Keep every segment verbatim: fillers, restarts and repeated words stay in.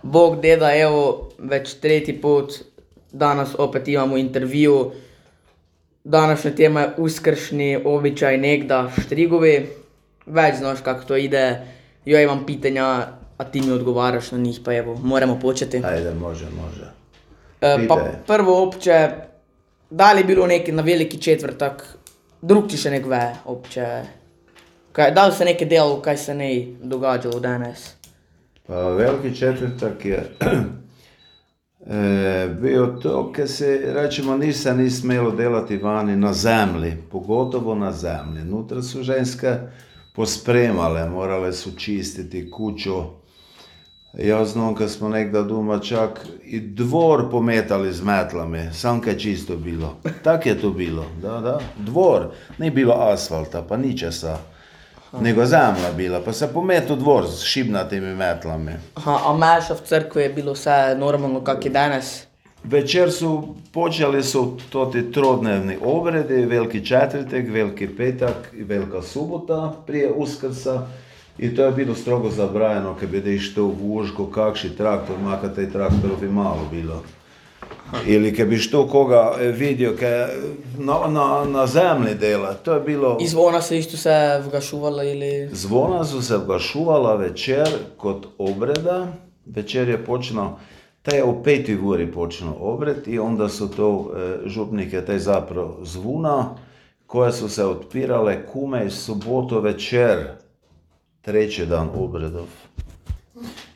Bog deda, evo, već treti put danas opet imamo intervju. Današnja tema je uskršnji običaj negda štrigovi. Već znaš kako to ide. Ja imam pitanja, a ti mi odgovaraš na njih, pa evo, moramo početi. Ajde, može, može. E, pa Pitaj. prvo opće, da li je bilo neki na veliki četvrtak, drug ti še nek ve, opće, kaj, da li se nekaj delalo, kaj se ne događalo danas? Pa veliki četvrtak je e, bio to, kad se, rečemo, ništa ni smjelo delati vani na zemlji, pogotovo na zemlji. Nutra su ženske pospremale, morale su čistiti kuću. Ja znam, kad smo nekda doma čak i dvor pometali z metlami, sam kaj čisto bilo. Tak je to bilo, da, da, dvor, ni bilo asfalta, pa ničesa. Nego zemlja bila, pa se pometu dvor s šibnatimi metlami. Aha, a meša v crkvi je bilo vse normalno, kak je danas? Večer su počeli su toti trodnevni obredi, veliki četvrtek, veliki petak i velika subota prije Uskrsa. I to je bilo strogo zabranjeno, kad bi da išlo u Vužko, kakši traktor, makar taj traktor bi malo bilo. Ili kad bi što koga vidio kaj na, na, na zemlji dela, to je bilo... I zvona se isto se vgašuvala ili... Zvona su se vgašuvala večer kod obreda, večer je počelo, taj je u petoj uri počelo obred i onda su to e, župnike, taj zapravo zvuna, koje su se otpirale kume i suboto večer, treći dan obredov.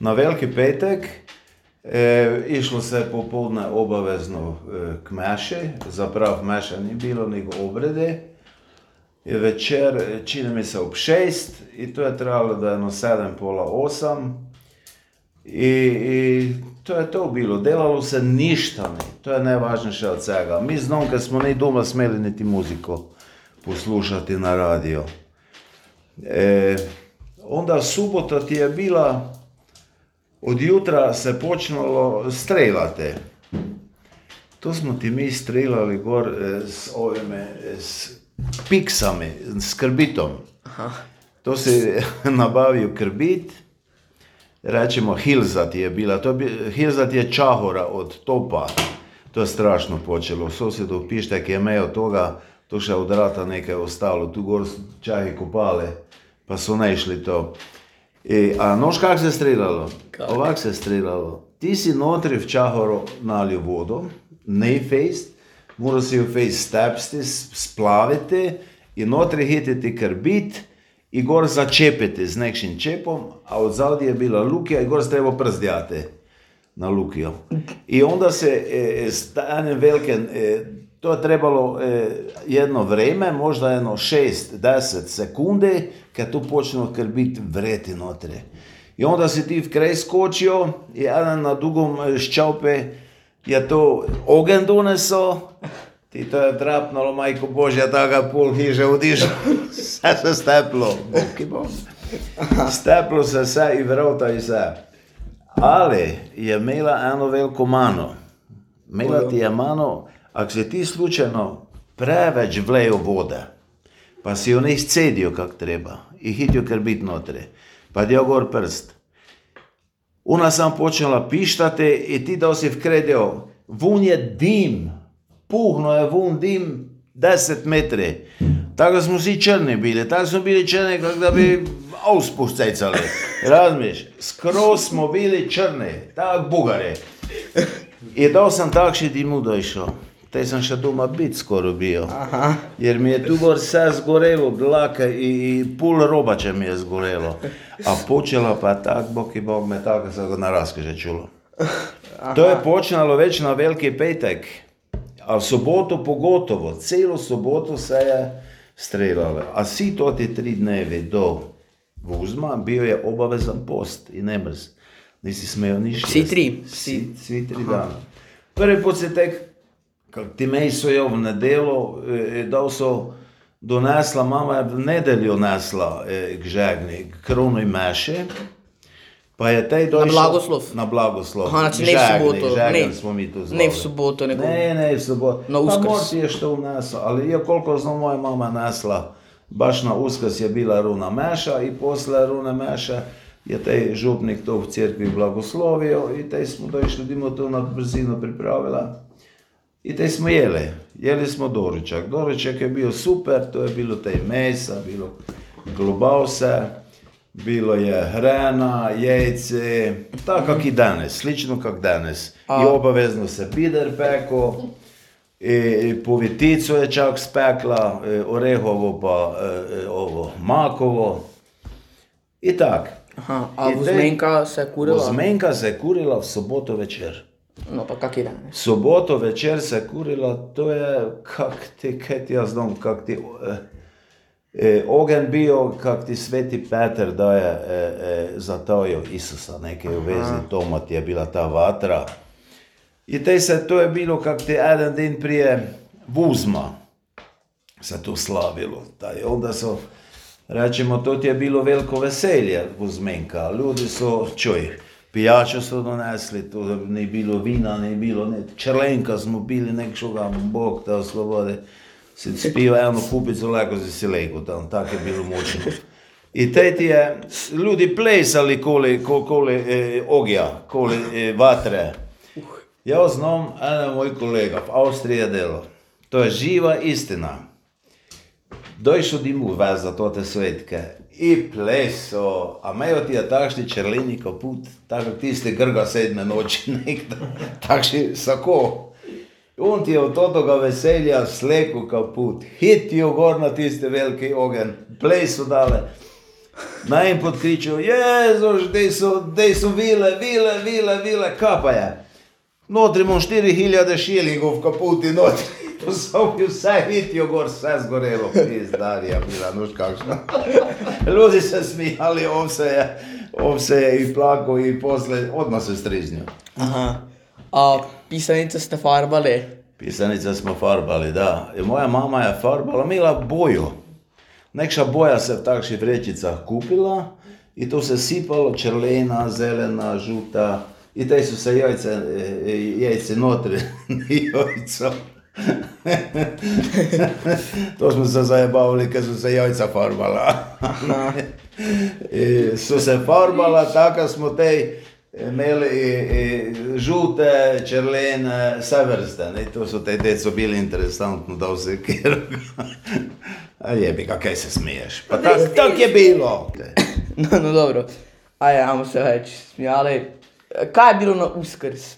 Na veliki petek e, išlo se popodne obavezno e, k meši, zapravo meša ni bilo, nego obrede. I večer, čini mi se ob šest, i to je trajalo da jedno sedem, pola osam. I, I to je to bilo, delalo se ništa ne, to je najvažnejše od svega. Mi znam, kad smo ni doma smeli niti muziku poslušati na radio. E, onda subota ti je bila, od jutra se počelo streljati. To smo ti mi streljali gor e, s ovime, s piksami, s krbitom. Aha. To se nabavio krbit, rečemo hilzat je bila, to bi, hilzat je čahora od topa. To je strašno počelo, sosjedu Pištek je imel toga, to še od rata nekaj ostalo, tu gor čahi kopale, pa su ne išli to. I, a noš kak se streljalo? Ovak se streljalo. Ti si notri v čahoro nalio vodu, ne fejst, mora si ju fejst stepsti, splaviti i notri hititi krbit i gor začepiti z nekšim čepom, a od zadnje je bila lukija i gor se treba przdjati na lukijo. I onda se e, stane velike, e, to je trebalo e, jedno vreme, možda jedno šest do deset sekundi, kad tu počne krbit vreti notri. I onda si ti v kraj skočio i jedan na dugom ščaupe je to ogen doneso, ti to je drapnalo, majko Božja, taka pol hiže odišlo, sve se steplo, boki bom. Steplo se sve i vrota i sve. Ali je imela eno veliko mano. Imela ti je mano, ako si ti slučajno preveč vlejo vode, pa si jo ne izcedio kak treba i hitio krbit notri, pa dio gor prst. Ona sam počela pištati i ti da si vkredio, vun je dim, puhno je vun dim deset metri. Tako smo svi črni bili, tako smo bili črni kak da bi auspuh cecali, razmiš, skroz smo bili črni, tak bugari. I dao sam takši dimu došao. Taj sam še doma bit skoro bio. Aha. Jer mi je tu gor sve zgorelo, dlaka i, i pol robače mi je zgorelo. A počela pa tak, bog i bog me tako se ga na raskaže čulo. Aha. To je počelo već na veliki petek, a v soboto pogotovo, celo soboto se je streljalo. A svi toti tri dnevi do Vuzma bio je obavezan post i ne mrz. Nisi smeo niš Svi tri? Svi, svi tri dana. Prvi put se tek, kak ti mej so jo v nedelo, eh, dal so donesla, mama je v nedeljo nesla eh, k žegni, k kronoj meši, pa je tej došel... Na blagoslov? Na blagoslov. Aha, znači ne v soboto. Žegni Ne, smo mi to zvali. ne v soboto, nego... Ne, ne v soboto. Na Pa Uskrs. mor ti je što vnesla, ali je koliko znam moja mama nesla, baš na Uskrs je bila runa meša i posle rune meše je taj župnik to v crkvi blagoslovio i taj smo došli, dimo to na brzinu pripravila. I taj smo jeli. Jeli smo doručak. Doručak je bio super, to je bilo taj mesa, bilo klobase, bilo je hrana, jajce, tako kak i danes, slično kak danes. I obavezno se bider peko, i povitico je čak spekla, orehovo pa e, ovo makovo i tak. Aha, a vozmenka se kurila? Vozmenka se kurila v soboto večer. No pa kak je danes? Soboto večer se kurila, to je kak ti, kaj ti jaz znam, kak ti e, e, ogen bio, kak ti Sveti Peter daje e, e, zatajio Isusa, nekaj u vezi tomat je bila ta vatra. I tej se, to je bilo kak ti jedan dan prije Vuzma se to slavilo. Taj, onda so, rečemo, to ti je bilo veliko veselje Vuzmenka. Ljudi so, čuj, pijačo so donesli, to ni bilo vina, ni bilo, ne, čerlenka smo bili, nekšoga, Bog da oslobode. Si spio eno kupico, lako si si lego tam, tako je bilo močno. I tej ti je, ljudi plesali koli, koli e, ogja, koli e, vatre. Ja znam, jedan moj kolega v Avstriji je delo. To je živa istina. Došel dimu vez za to te svetke i pleso, a mejo ti je takšni čerleni kaput, tako tisti grga sedme noči nekdo, takšni sako. On ti je od toga veselja sleku kaput, hitijo gor na tisti veliki ogen, pleso dale. Najimpod kričal, Jezuš, dej so, dej so vile, vile, vile, vile, kaj pa je? Notri imam štiri hiljade šilingov v kaputi, notri. Posovil vse, hitijo gor, vse zgorelo. Pizdarija bila, nož kakšna. Ljudi se smijali, on se je, on se je i plakao i posle, odmah se striznio. Aha. A pisanice ste farbali? Pisanice smo farbali, da. I moja mama je farbala, imela boju. Nekša boja se v takših vrečicah kupila i to se sipalo, čerlena, zelena, žuta. I taj su se jajce, jajce notri, jajca. To smo se zajebavili, kad su se jajca farbala. I su se farbala, tako smo tej imeli i, i žute, čerlene, sve vrste. I to su tej deco bili interesantno da se kjeru. A jebi ga, kaj se smiješ? Pa tak, tak je bilo. No, no dobro, ajde, ajmo se već smijali. Kaj je bilo na Uskrs?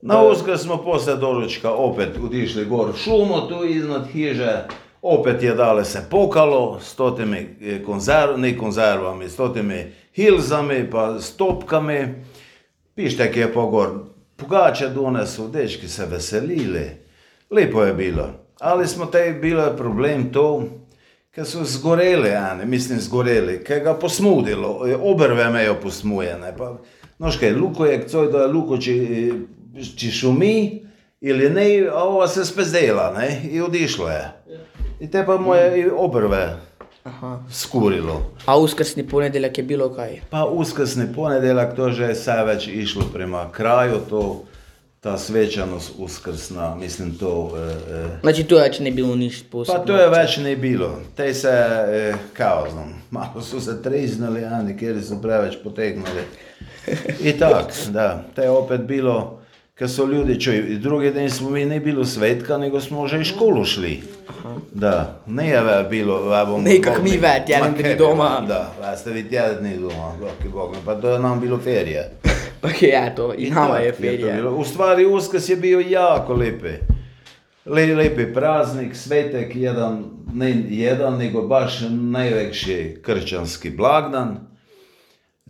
Na Uskrs smo posle doručka opet otišli gor v šumo, tu iznad hiže. Opet je dale se pokalo s totimi konzervami, konzervami, s totimi hilzami pa s topkami. Pištek je pa gor pogače donesu, dečki se veselili. Lepo je bilo. Ali smo tej bilo problem to, ker so zgoreli, ane, mislim zgoreli, ker ga posmudilo, obrve mejo posmujene. Pa, nož kaj, luko je, coj da je luko, či, či šumi ili ne, a ova se spezdela, ne, i odišlo je. I te pa moje i obrve Aha. skurilo. A uskrsni ponedeljak je bilo kaj? Pa uskrsni ponedeljak, to že je sve već išlo prema kraju, to, ta svečanost uskrsna, mislim to... E, e, Znači to već ne bilo ništa posebno? Pa to je već ne bilo. Tej se, e, kao znam, malo su se triznali, a nekjeri su preveć potegnuli. I tak, da, te je opet bilo, kad su ljudi, čuj, drugi dan smo mi ne bilo svetka, nego smo že i školu šli. Aha. Da, nije bilo, evo... Ne, kak mi ve, tjedan dni doma. Da, ve ste vi tjedan dni doma, bog, bog, pa to je nam bilo ferije. Ok, eto, i nama je ferije. U stvari Uskrs je bio jako lepi. Le, lepi praznik, svetek, jedan, ne jedan, nego baš najveći kršćanski blagdan.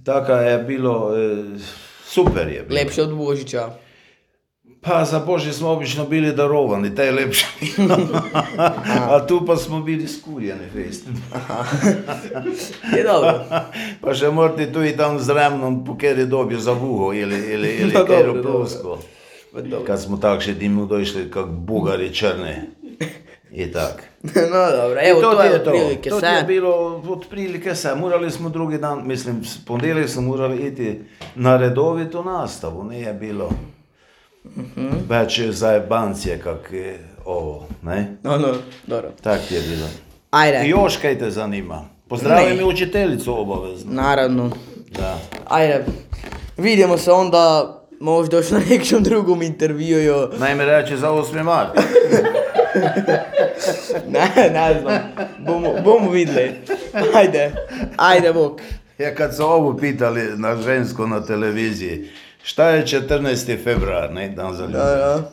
Tako je bilo, e, super je bilo. Lepše od Božića. Pa za Božić smo obično bili darovani, taj je lepše bilo. A tu pa smo bili skurjeni fest. Je dobro. Pa še morate tu i tam z remnom po kjer je dobio za buho ili, ili, ili No, kjer dobro, plusko. Kad smo tak še dimu došli kak bugari črni. I tak. No dobro, evo to, to je je to. otprilike To sve. je bilo otprilike sve. Morali smo drugi dan, mislim, ponedjeljak smo morali iti na redovitu nastavu, nije bilo Mm-hmm. već zajebancije kak je ovo, ne? No, no, dobro. Tak je bilo. Ajde. I još kaj te zanima? Pozdravim Ne. i učiteljicu obavezno. Naravno. Da. Ajde, vidimo se onda možda još na nekom drugom intervjuju. Najme reći za osmi mart. Ne, ne znam, bomo, bomo vidjeli. Ajde, ajde bok. Ja kad su ovu pitali na žensko na televiziji, šta je četrnaesti februar, ne, dan za ljubav. Da, da.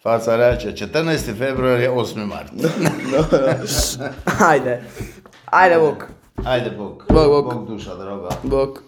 Faca reče, četrnaesti februar je osmi mart. Da, da. Ajde, ajde bok, Ajde, Bog. Bog, Bog. Bog duša droga. bok.